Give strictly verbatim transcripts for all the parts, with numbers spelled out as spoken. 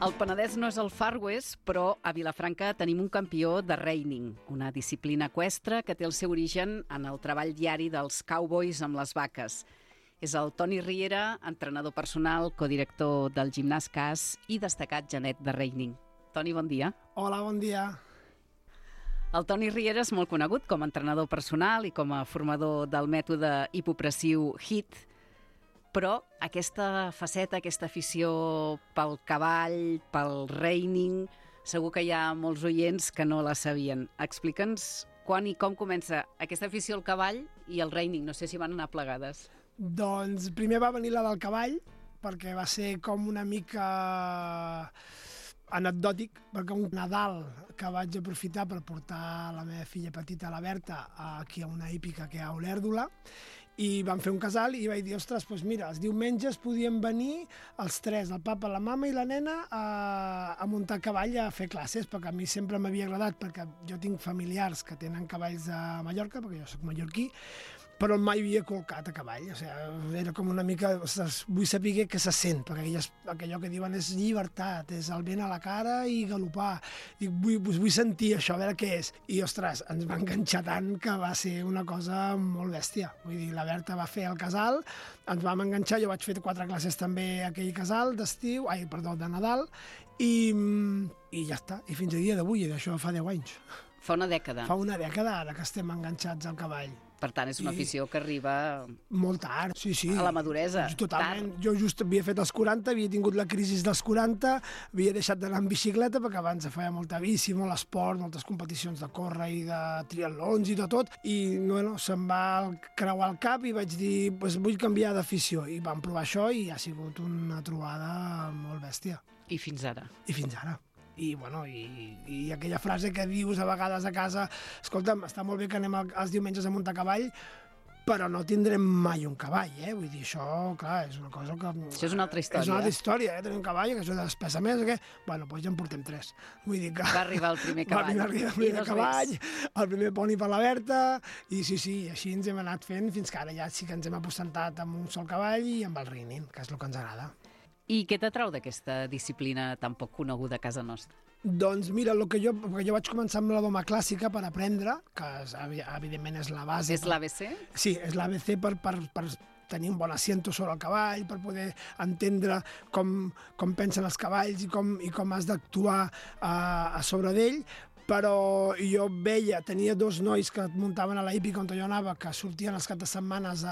El Penedès no és el Far West, però a Vilafranca tenim un campió de reining, una disciplina eqüestre que té el seu origen en el treball diari dels cowboys amb les vaques. És el Toni Riera, entrenador personal, codirector del Gimnàs Cas i destacat genet de reining. Toni, bon dia. Hola, bon dia. El Toni Riera és molt conegut com a entrenador personal i com a formador del mètode hipopressiu H I I T, però aquesta faceta, aquesta afició pel cavall, pel reining, segur que hi ha molts oients que no la sabien. Explica'ns quan i com comença aquesta afició al cavall i al reining. No sé si van anar plegades. Doncs primer va venir la del cavall, perquè va ser com una mica anecdòtic, perquè un Nadal que vaig aprofitar per portar la meva filla petita, la Berta, aquí a una hípica que hi ha a Olèrdola, i vam fer un casal i vaig dir, ostres, doncs mira, els diumenges podien venir els tres, el papa, la mama i la nena, a, a muntar cavall a fer classes, perquè a mi sempre m'havia agradat, perquè jo tinc familiars que tenen cavalls a Mallorca, perquè jo soc mallorquí, però mai havia colcat a cavall, o sigui, era com una mica, ostres, vull saber què se sent, perquè aquelles, allò que diuen és llibertat, és el vent a la cara i galopar, dic, vull, vull sentir això, a veure què és, i ostres, ens va enganxar tant que va ser una cosa molt bèstia, vull dir, la Berta va fer el casal, ens vam enganxar, jo vaig fer quatre classes també a aquell casal d'estiu, ai, perdó, de Nadal, i, i ja està, i fins a dia d'avui, i d'això fa deu anys. Fa una dècada. Fa una dècada ara que estem enganxats al cavall. Per tant, és una afició que arriba molt tard, sí, sí. A la maduresa. Totalment. Tard. Jo just havia fet els quaranta, havia tingut la crisi dels quaranta, havia deixat d'anar en bicicleta, perquè abans feia molta bici, molt esport, moltes competicions de córrer i de triatlons i de tot, i bueno, se'm va creuar el cap i vaig dir, pues, vull canviar d'afició, i vam provar això i ha sigut una trobada molt bèstia. I fins ara. I fins ara. I, bueno, i, i aquella frase que dius a vegades a casa, escolta'm, està molt bé que anem els diumenges a muntar cavall, però no tindrem mai un cavall, eh? Vull dir, això, clar, és una cosa que... Això és una altra història. És una altra història, eh? Tenim un cavall, que això despesa més, que... Bueno, doncs ja en portem tres. Vull dir que... Va arribar el primer cavall. Va arribar el primer cavall, el primer poni per la Berta, i sí, sí, així ens hem anat fent fins que ara ja sí que ens hem apostentat amb un sol cavall i amb el reining, que és el que ens agrada. I què t'atrau d'aquesta disciplina tan poc coneguda a casa nostra? Doncs mira, el que jo, perquè jo vaig començar amb la doma clàssica per aprendre, que és, evidentment és la base. És l'A B C? Sí, és l'A B C per, per, per tenir un bon asiento sobre el cavall, per poder entendre com, com pensen els cavalls i com, i com has d'actuar a, a sobre d'ell, però jo veia, tenia dos nois que muntaven a la hípica on jo anava, que sortien els caps de setmanes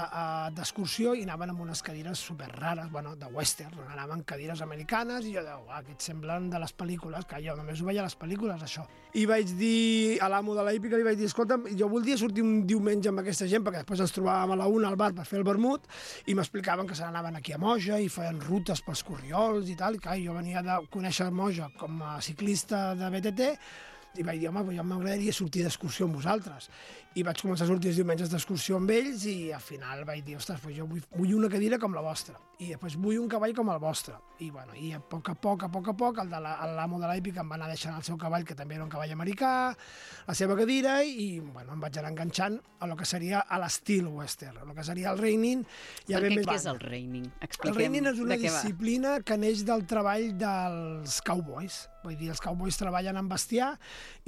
d'excursió i anaven amb unes cadires super rares, bueno, de western, anaven cadires americanes, i jo deia, uah, aquests semblen de les pel·lícules, que jo només ho veia a les pel·lícules, això. I vaig dir a l'amo de la hípica, li vaig dir, escolta'm, jo voldria sortir un diumenge amb aquesta gent, perquè després ens trobàvem a la una al bar per fer el vermut, i m'explicaven que se n'anaven aquí a Moja i feien rutes pels corriols i tal, i clar, jo venia de conèixer Moja com a ciclista de B T T, i vaig dir, home, jo m'agradaria sortir d'excursió amb vosaltres. I vaig començar a sortir els diumenges d'excursió amb ells i al final vaig dir, ostres, jo vull, vull una cadira com la vostra i després vull un cavall com el vostre. I, bueno, i a poc a poc, a poc a poc, el de l'amo de l'hípica em va anar deixant el seu cavall, que també era un cavall americà, la seva cadira, i bueno, em vaig anar enganxant a lo que seria a l'estil western, a lo que seria el reining. Ja Perquè què és el reining? Expliquem. El reining és una disciplina que neix del treball dels cowboys. Vull dir, els cowboys treballen en bestiar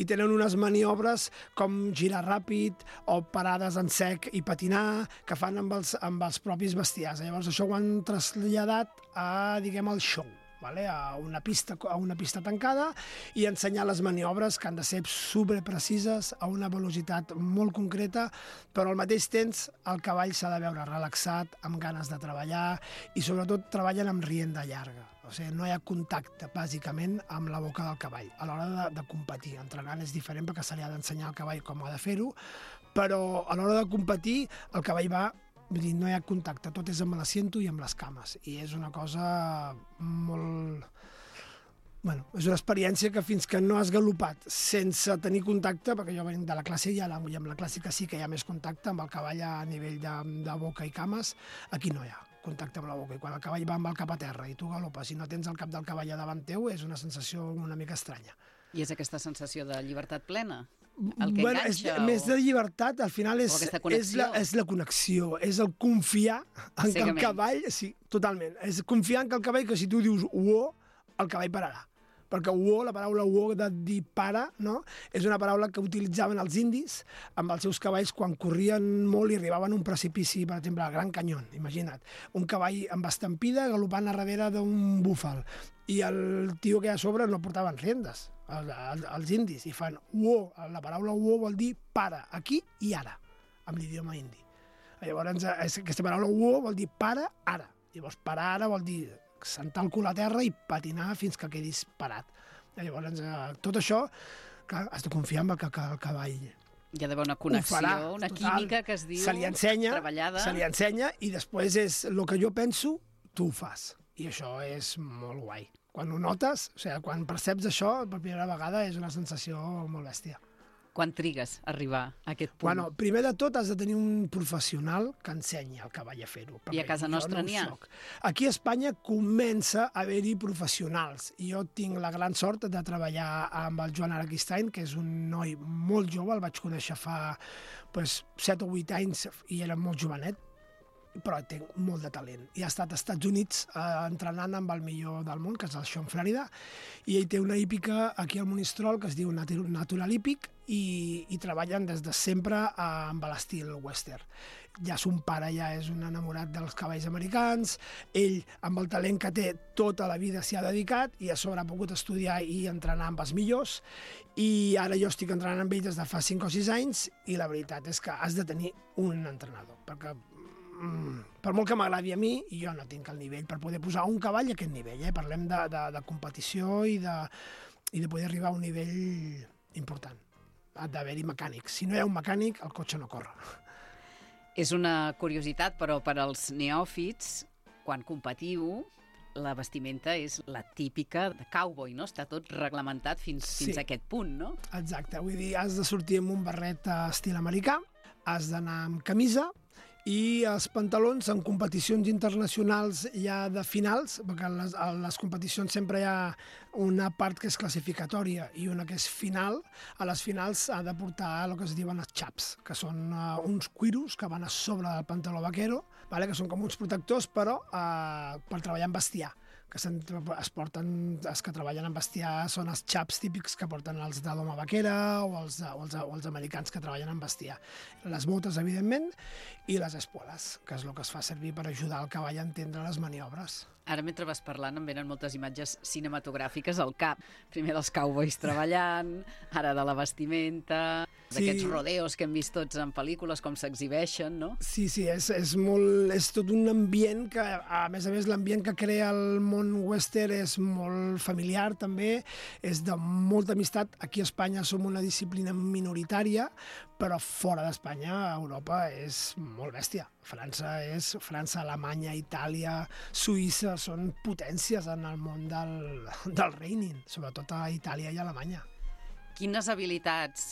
i tenen unes maniobres com girar ràpid o parades en sec i patinar que fan amb els, amb els propis bestiars. Llavors això ho han traslladat a, diguem, al show, vale? a, una pista, a una pista tancada i ensenyar les maniobres que han de ser superprecises a una velocitat molt concreta, però al mateix temps el cavall s'ha de veure relaxat, amb ganes de treballar i sobretot treballen amb rienda llarga. O sigui, no hi ha contacte, bàsicament, amb la boca del cavall. A l'hora de, de competir, entrenant és diferent perquè se li ha d'ensenyar al cavall com ha de fer-ho, però a l'hora de competir el cavall va, vull dir, no hi ha contacte, tot és amb l'assiento i amb les cames, i és una cosa molt... Bueno, és una experiència que fins que no has galopat sense tenir contacte, perquè jo venc de la classe i amb la clàssica sí que hi ha més contacte amb el cavall a nivell de, de boca i cames, aquí no hi ha contacte amb la boca, i quan el cavall va amb el cap a terra i tu galopes i no tens el cap del cavall a davant teu, és una sensació una mica estranya. I és aquesta sensació de llibertat plena? El que bueno, enganxa? És, o... Més de llibertat, al final és, és, la, és la connexió, és el confiar en que el cavall... Sí, totalment. És confiar en que el cavall, que si tu dius uó, el cavall pararà. perquè uo, la paraula uo de dir pare, no? És una paraula que utilitzaven els indis amb els seus cavalls quan corrien molt i arribaven a un precipici, per exemple, al Gran Canyón, imagina't. Un cavall amb estampida galopant a darrere d'un búfal i el tio que hi ha a sobre no portaven riendes, els, els, els indis, i fan uo, la paraula uo vol dir pare, aquí i ara, amb l'idioma indi. Llavors, aquesta paraula uo vol dir pare, ara. Llavors, parar ara vol dir sentar el cul a terra i patinar fins que quedis parat. Llavors, eh, tot això, clar, has de confiar en el que el cavall hi ha d'haver una connexió, farà, una total. Química que es diu se li ensenya, treballada. Se li ensenya i després és el que jo penso, tu ho fas. I això és molt guai. Quan ho notes, o sigui, quan perceps això per primera vegada és una sensació molt bèstia. Quan trigues a arribar a aquest punt? Bueno, primer de tot has de tenir un professional que ensenyi al cavall a fer-ho. I a casa nostra no n'hi ha? Soc. Aquí a Espanya comença a haver-hi professionals. I jo tinc la gran sort de treballar amb el Joan Araquistain, que és un noi molt jove, el vaig conèixer fa pues, set o vuit anys i era molt jovenet, però té molt de talent. I ha estat als Estats Units eh, entrenant amb el millor del món, que és el Sean Florida, i ell té una hípica aquí al Monistrol que es diu Natural Hípic i, i treballen des de sempre eh, amb l'estil western. Ja son pare ja és un enamorat dels cavalls americans, ell, amb el talent que té, tota la vida s'hi ha dedicat i a sobre ha pogut estudiar i entrenar amb els millors, i ara jo estic entrenant amb ell des de fa cinc o sis anys i la veritat és que has de tenir un entrenador, perquè mm, per molt que m'agradi a mi, jo no tinc el nivell per poder posar un cavall a aquest nivell. Eh? Parlem de, de, de competició i de, i de poder arribar a un nivell important. Ha d'haver-hi mecànics. Si no hi ha un mecànic, el cotxe no corre. És una curiositat, però per als neòfits, quan competiu, la vestimenta és la típica de cowboy, no? Està tot reglamentat fins, Sí. fins a aquest punt, no? Exacte, vull dir, has de sortir amb un barret a estil americà, has d'anar amb camisa, i els pantalons en competicions internacionals ja de finals, perquè a les, a les competicions sempre hi ha una part que és classificatòria i una que és final. A les finals ha de portar el que es diuen els chaps, que són uh, uns cuiros que van a sobre del pantaló vaquero, vale? Que són com uns protectors, però uh, per treballar en bestiar. Que es porten, els que treballen en bestiar són els chaps típics que porten els de doma vaquera o els, o, els, o els americans que treballen en bestiar. Les botes, evidentment, i les espueles, que és el que es fa servir per ajudar el cavall a entendre les maniobres. Ara, mentre vas parlant, em venen moltes imatges cinematogràfiques al cap. Primer dels cowboys treballant, ara de la vestimenta, Sí. d'aquests rodeos que hem vist tots en pel·lícules, com s'exhibeixen, no? Sí, sí, és, és, molt, és tot un ambient que, a més a més, l'ambient que crea el món western és molt familiar, també, és de molta amistat. Aquí a Espanya som una disciplina minoritària, però fora d'Espanya, a Europa, és molt bèstia. França és França, Alemanya, Itàlia, Suïssa, són potències en el món del, del reining, sobretot a Itàlia i a Alemanya. Quines habilitats,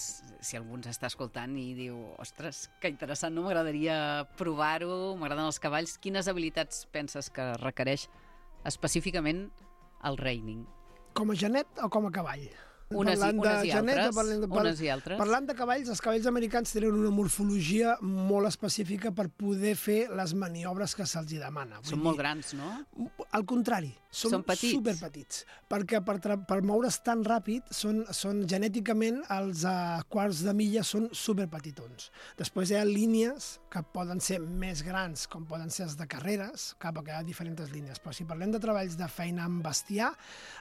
si algú ens està escoltant i diu, ostres, que interessant, no m'agradaria provar-ho, m'agraden els cavalls, quines habilitats penses que requereix específicament el reining? Com a genet o com a cavall? Unes, i, unes i genet, altres. Parlant de, Unes i altres. Parlant de cavalls, els cavalls americans tenen una morfologia molt específica per poder fer les maniobres que se'ls demana. Vull Són dir, molt grans, no? Al contrari, són, Són petits. superpetits, perquè per, per moure's tan ràpid són, són genèticament els uh, quarts de milla són superpetitons. Després hi ha línies que poden ser més grans, com poden ser els de carreres, cap que hi ha diferents línies, però si parlem de treballs de feina amb bestiar,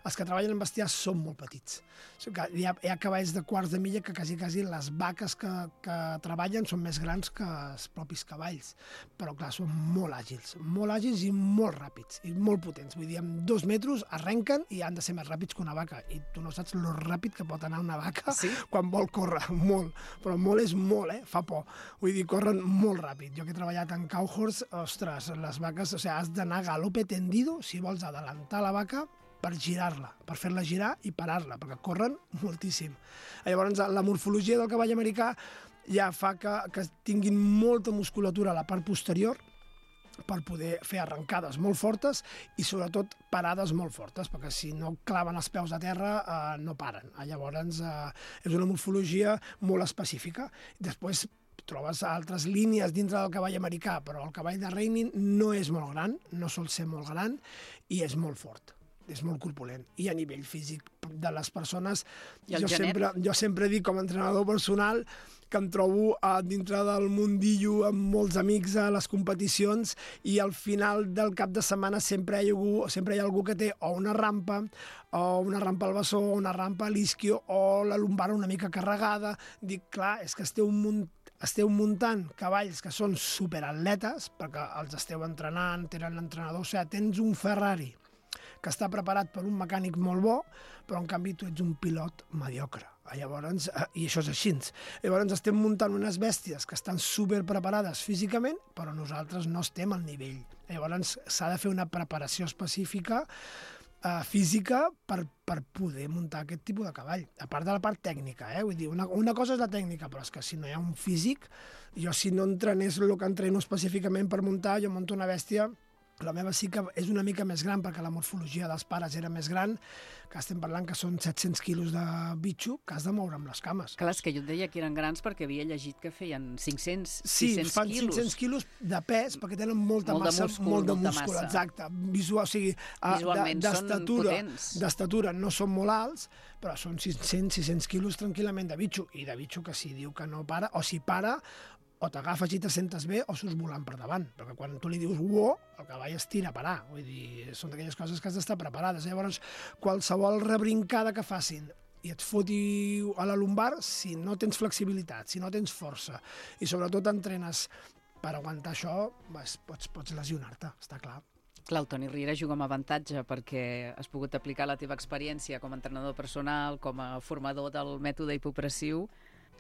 els que treballen amb bestiar són molt petits. Hi ha, hi ha cavalls de quarts de milla que quasi, quasi les vaques que, que treballen són més grans que els propis cavalls, però clar, són molt àgils, molt àgils i molt ràpids, i molt potents. Vull dir, amb dos metres arrenquen i han de ser més ràpids que una vaca, i tu no saps lo ràpid que pot anar una vaca Sí? quan vol córrer, molt, però molt és molt, eh? Fa por. Vull dir, corren molt ràpid. Jo que he treballat en cowhorse, ostres, les vaques, o sigui, has d'anar a galope tendido si vols adelantar la vaca per girar-la, per fer-la girar i parar-la, perquè corren moltíssim. Llavors, la morfologia del cavall americà ja fa que, que tinguin molta musculatura a la part posterior per poder fer arrencades molt fortes i, sobretot, parades molt fortes, perquè si no claven els peus a terra eh, no paren. Llavors, eh, és una morfologia molt específica. Després, trobes altres línies dintre del cavall americà, però el cavall de reining no és molt gran, no sol ser molt gran i és molt fort. és molt corpulent. I a nivell físic de les persones, I el jo genet? sempre, jo sempre dic com a entrenador personal que em trobo a dintre del mundillo amb molts amics a les competicions i al final del cap de setmana sempre hi ha algú, sempre hi ha algú que té o una rampa, o una rampa al bessó, o una rampa a l'isquio, o la lumbar una mica carregada. Dic, clar, és que esteu munt esteu muntant cavalls que són superatletes, perquè els esteu entrenant, tenen l'entrenador, o sigui, tens un Ferrari que està preparat per un mecànic molt bo, però en canvi tu ets un pilot mediocre. Llavors, i això és així. Llavors estem muntant unes bèsties que estan superpreparades físicament, però nosaltres no estem al nivell. Llavors s'ha de fer una preparació específica uh, física per, per poder muntar aquest tipus de cavall. A part de la part tècnica, eh? Vull dir, una, una cosa és la tècnica, però és que si no hi ha un físic, jo si no entrenés el que entreno específicament per muntar, jo monto una bèstia. La meva sí que és una mica més gran perquè la morfologia dels pares era més gran, que estem parlant que són set-cents quilos de bitxo que has de moure amb les cames. Clar, és que jo et deia que eren grans perquè havia llegit que feien cinc-cents, sí, sis-cents fan quilos. cinc-cents quilos de pes perquè tenen molta Molt de massa, múscul, molt de molta múscul, massa. exacte. Visual, o sigui, ah, Visualment de- són d'estatura- potents. D'estatura no són molt alts, però són cinc-cents quilos tranquil·lament de bitxo, i de bitxo que si diu que no para, o si para, o t'agafes i te sentes bé o surts volant per davant, perquè quan tu li dius uo, el cavall es tira a parar, vull dir, són d'aquelles coses que has d'estar preparades. Llavors, qualsevol rebrincada que facin i et foti a la lumbar, si no tens flexibilitat, si no tens força, i sobretot entrenes per aguantar això, vas, pots, pots lesionar-te, està clar. Clar, el Toni Riera juga amb avantatge perquè has pogut aplicar la teva experiència com a entrenador personal, com a formador del mètode hipopressiu,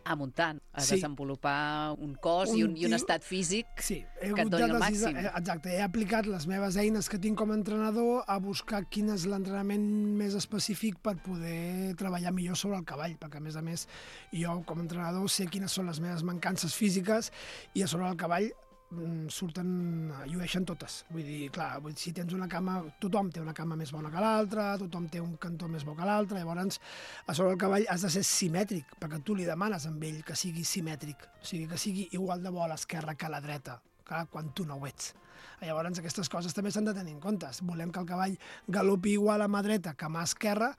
a muntant, a Sí. desenvolupar un cos Un i, un, i un tio- estat físic Sí, he que et hagut doni de el decisar- màxim. eh, Exacte, he aplicat les meves eines que tinc com a entrenador a buscar quin és l'entrenament més específic per poder treballar millor sobre el cavall, perquè a més a més jo com a entrenador sé quines són les meves mancances físiques i a sobre el cavall mm, surten, llueixen totes. Vull dir, clar, vull dir, si tens una cama, tothom té una cama més bona que l'altra, tothom té un cantó més bo que l'altre, llavors a sobre el cavall has de ser simètric, perquè tu li demanes amb ell que sigui simètric, o sigui, que sigui igual de bo a l'esquerra que a la dreta, clar, quan tu no ho ets. Llavors aquestes coses també s'han de tenir en compte. Volem que el cavall galopi igual a mà dreta que a mà esquerra,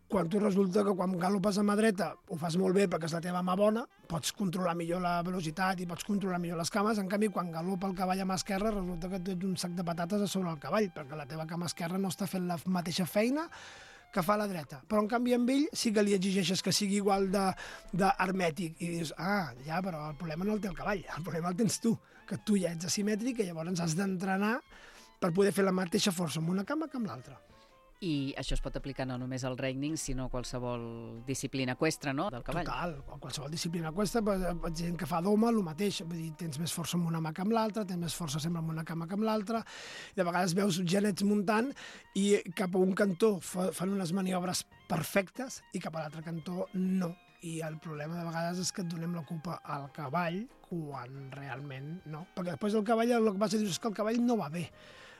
quan tu resulta que quan galopes a mà dreta ho fas molt bé perquè és la teva mà bona, pots controlar millor la velocitat i pots controlar millor les cames, en canvi quan galopa el cavall a mà esquerra resulta que tu ets un sac de patates a sobre el cavall, perquè la teva cama esquerra no està fent la mateixa feina que fa la dreta. Però en canvi amb ell sí que li exigeixes que sigui igual d'hermètic i dius, ah, ja, però el problema no el té el cavall, el problema el tens tu, que tu ja ets asimètric i llavors has d'entrenar per poder fer la mateixa força amb una cama que amb l'altra. I això es pot aplicar no només al reining, sinó a qualsevol disciplina eqüestre, no?, del cavall. Total, o qualsevol disciplina aquesta, gent que fa doma, el mateix, vull dir, tens més força amb una mà que amb l'altra, tens més força sempre amb una cama que amb l'altra, i de vegades veus genets muntant i cap a un cantó fan unes maniobres perfectes i cap a l'altre cantó no. I el problema de vegades és que et donem la culpa al cavall quan realment no. Perquè després el cavall el que passa és que el cavall no va bé.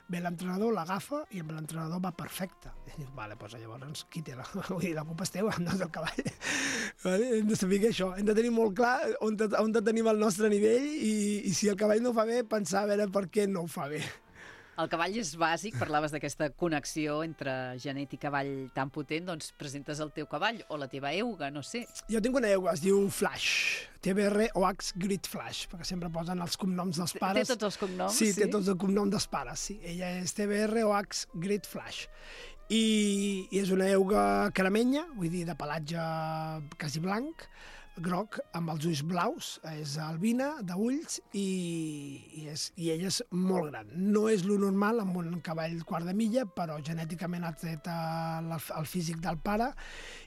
Ve l'entrenador, l'agafa i amb l'entrenador va perfecte. I dius, vale, doncs llavors qui té la... Vull dir, la culpa és teva, no és del cavall. Vale? Hem de saber que això, hem de tenir molt clar on, on tenim el nostre nivell i, i si el cavall no ho fa bé, pensar a veure per què no ho fa bé. El cavall és bàsic, parlaves d'aquesta connexió entre genet i cavall tan potent, doncs presentes el teu cavall o la teva euga, no sé. Jo tinc una euga, es diu Flash, T B R O H Grid Flash, perquè sempre posen els cognoms dels pares. Té tots els cognoms? Sí, sí, té tots els cognoms dels pares, sí. Ella és T B R O H Grid Flash. I, i és una euga caramenya, vull dir, de pelatge quasi blanc, groc, amb els ulls blaus, és albina, d'ulls, i, i, és, i ella és molt gran. No és lo normal amb un cavall quart de milla, però genèticament ha tret el, el físic del pare,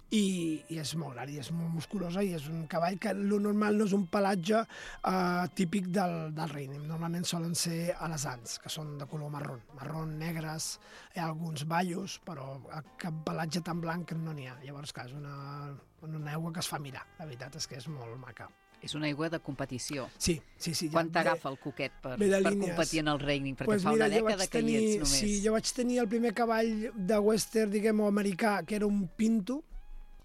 i, i és molt gran, i és molt musculosa, i és un cavall que lo normal no és un pelatge eh, típic del, del reining. Normalment solen ser alesans, que són de color marró, marró, negres, hi ha alguns ballos, però cap pelatge tan blanc no n'hi ha. Llavors, clar, és una, una aigua que es fa mirar, la veritat és que és molt maca. És una aigua de competició. Sí, sí, sí. Quan t'agafa el coquet per, ve de per línies. competir en el reining? Perquè Pues fa mira, una jo dècada vaig que hi tenir, ets només. sí, jo vaig tenir el primer cavall de western, diguem, o americà, que era un pinto.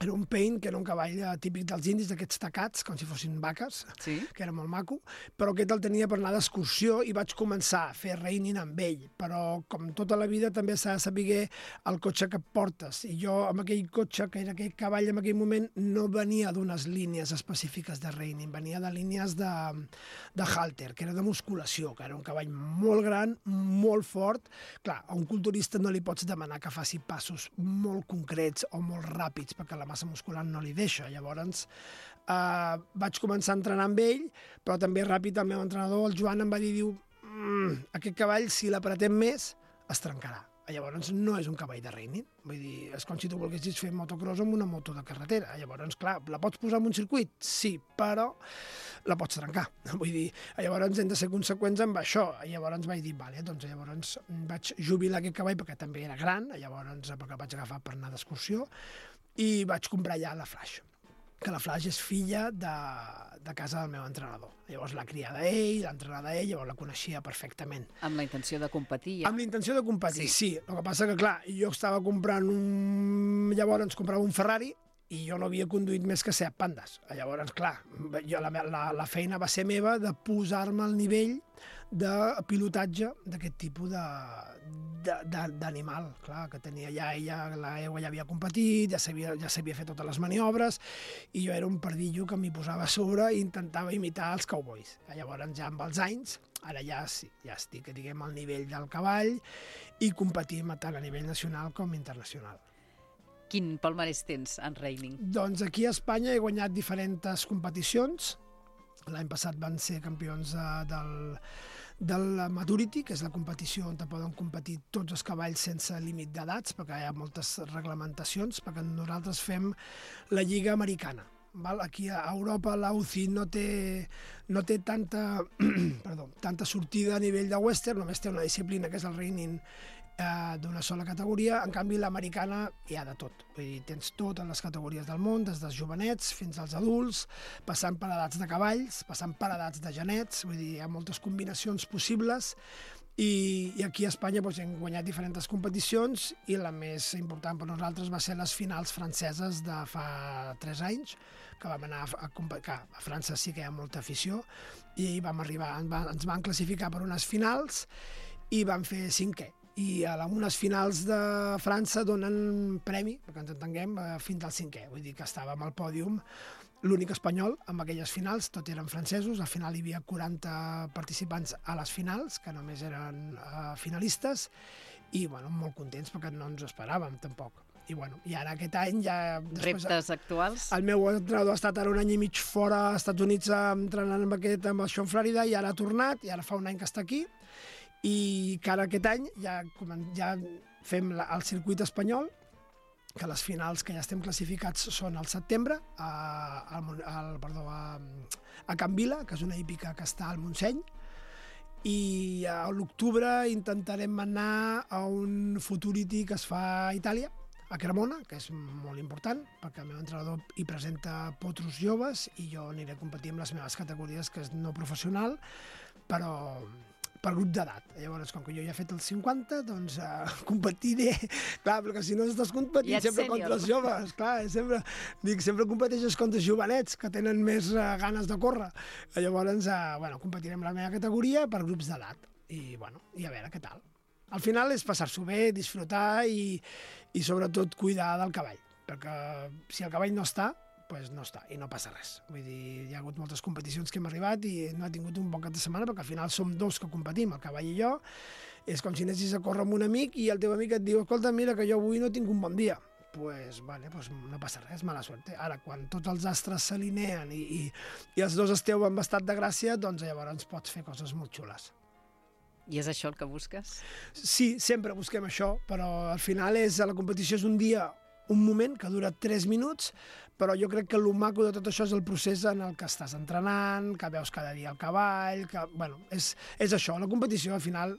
Era un paint, que era un cavall típic dels indis, d'aquests tacats, com si fossin vaques, sí? que era molt maco, però aquest el tenia per anar d'excursió i vaig començar a fer reining amb ell. Però, com tota la vida, també s'ha de saber el cotxe que portes. I jo, amb aquell cotxe, que era aquell cavall en aquell moment, no venia d'unes línies específiques de reining, venia de línies de, de halter, que era de musculació, que era un cavall molt gran, molt fort. Clar, a un culturista no li pots demanar que faci passos molt concrets o molt ràpids, perquè la massa muscular no li deixa. Llavors, eh, vaig començar a entrenar amb ell, però també ràpid el meu entrenador, el Joan, em va dir, diu, mmm, aquest cavall, si l'apretem més, es trencarà. Llavors, no és un cavall de reining. Vull dir, és com si tu volguessis fer motocross amb una moto de carretera. Llavors, clar, la pots posar en un circuit? Sí, però la pots trencar. Vull dir, llavors hem de ser conseqüents amb això. Llavors vaig dir, vale, doncs llavors vaig jubilar aquest cavall perquè també era gran, llavors perquè el vaig agafar per anar d'excursió, i vaig comprar ja la Flash, que la Flash és filla de, de casa del meu entrenador. Llavors l'ha criada ell, l'ha entrenada ell, llavors la coneixia perfectament. Amb la intenció de competir, ja? Amb la intenció de competir, sí. sí. El que passa que, clar, jo estava comprant un... Llavors ens comprava un Ferrari i jo no havia conduït més que set pandes. Llavors, clar, jo, la, la, la feina va ser meva de posar-me al nivell de pilotatge d'aquest tipus d'animal. Clar, que tenia ja ella, la Ewa ja havia competit, ja sabia, ja sabia fer totes les maniobres, i jo era un pardillo que m'hi posava a sobre i intentava imitar els cowboys. Llavors, ja amb els anys, ara ja, sí, ja estic, diguem, al nivell del cavall i competim tant a nivell nacional com internacional. Quin palmarès tens en reining? Doncs aquí a Espanya he guanyat diferents competicions. L'any passat van ser campions de, del, del Maturity, que és la competició on poden competir tots els cavalls sense límit d'edats, perquè hi ha moltes reglamentacions, perquè nosaltres fem la Lliga Americana. Val? Aquí a Europa la U C I no té, no té tanta, perdó, tanta sortida a nivell de western, només té una disciplina que és el reining eh, d'una sola categoria. En canvi, l'americana hi ha de tot. Vull dir, tens totes les categories del món, des dels jovenets fins als adults, passant per edats de cavalls, passant per edats de genets, vull dir, hi ha moltes combinacions possibles. I, i aquí a Espanya doncs, hem guanyat diferents competicions i la més important per nosaltres va ser les finals franceses de fa tres anys, que vam anar a, a, a, a França sí que hi ha molta afició, i vam arribar, ens van, ens van classificar per unes finals i vam fer cinquè. I a unes finals de França donen premi, perquè ens entenguem, fins al cinquè. Vull dir que estàvem al pòdium, l'únic espanyol amb aquelles finals, tot eren francesos. Al final hi havia quaranta participants a les finals, que només eren uh, finalistes, i bueno, molt contents perquè no ens ho esperàvem tampoc. I, bueno, i ara aquest any ja... Després, reptes actuals? El meu entrenador ha estat ara un any i mig fora als Estats Units entrenant amb, aquest, amb el Sean Florida, i ara ha tornat, i ara fa un any que està aquí, i que ara aquest any ja, ja fem la, el circuit espanyol, que les finals que ja estem classificats són al setembre, a, a, a, perdó, a, a Can Vila, que és una hípica que està al Montseny, i a l'octubre intentarem anar a un Futurity que es fa a Itàlia, a Cremona, que és molt important, perquè el meu entrenador hi presenta potros joves i jo aniré a competir amb les meves categories, que és no professional, però per grup d'edat. Llavors, com que jo ja he fet els cinquanta, doncs uh, competiré. Clar, perquè si no estàs competint sempre sènior. Contra els joves. Clar, sempre, dic, sempre competeixes contra els jovenets, que tenen més uh, ganes de córrer. Llavors, uh, bueno, competirem la meva categoria per grups d'edat. I, bueno, i a veure què tal. Al final és passar-s'ho bé, disfrutar i, i sobretot cuidar del cavall. Perquè si el cavall no està, pues no està, i no passa res. Vull dir, hi ha hagut moltes competicions que hem arribat i no ha tingut un bon cap de setmana, perquè al final som dos que competim, el cavall i jo. És com si anessis a córrer amb un amic i el teu amic et diu, escolta, mira, que jo avui no tinc un bon dia. Pues, vale, pues no passa res, mala sort. Ara, quan tots els astres s'alineen i, i, i els dos esteu en estat de gràcia, doncs llavors pots fer coses molt xules. I és això el que busques? Sí, sempre busquem això, però al final és, la competició és un dia, un moment que dura tres minuts, però jo crec que el maco de tot això és el procés en el que estàs entrenant, que veus cada dia el cavall, que, bueno, és, és això, la competició al final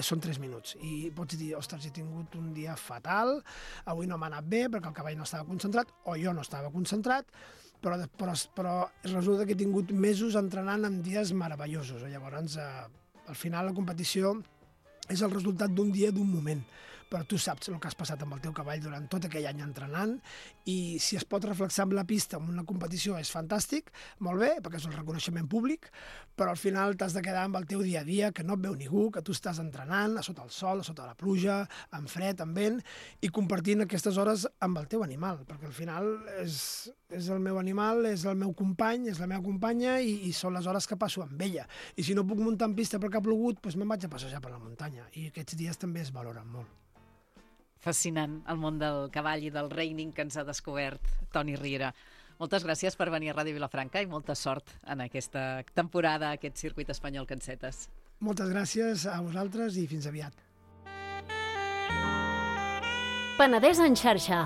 són tres minuts i pots dir, ostres, he tingut un dia fatal, avui no m'ha anat bé perquè el cavall no estava concentrat o jo no estava concentrat, però, però, però resulta que he tingut mesos entrenant en dies meravellosos. Llavors, eh, al final la competició és el resultat d'un dia, d'un moment. però tu saps el que has passat amb el teu cavall durant tot aquell any entrenant, i si es pot reflexar amb la pista en una competició és fantàstic, molt bé, perquè és un reconeixement públic, però al final t'has de quedar amb el teu dia a dia, que no et veu ningú, que tu estàs entrenant a sota el sol, a sota la pluja, amb fred, amb vent, i compartint aquestes hores amb el teu animal, perquè al final és, és el meu animal, és el meu company, és la meva companya, i, i són les hores que passo amb ella. I si no puc muntar en pista perquè ha plogut, doncs me'n vaig a passejar per la muntanya, i aquests dies també es valoren molt. Fascinant, el món del cavall i del reining que ens ha descobert Toni Riera. Moltes gràcies per venir a Ràdio Vilafranca i molta sort en aquesta temporada, aquest circuit espanyol que encetes. Moltes gràcies a vosaltres i fins aviat. Penedès en xarxa,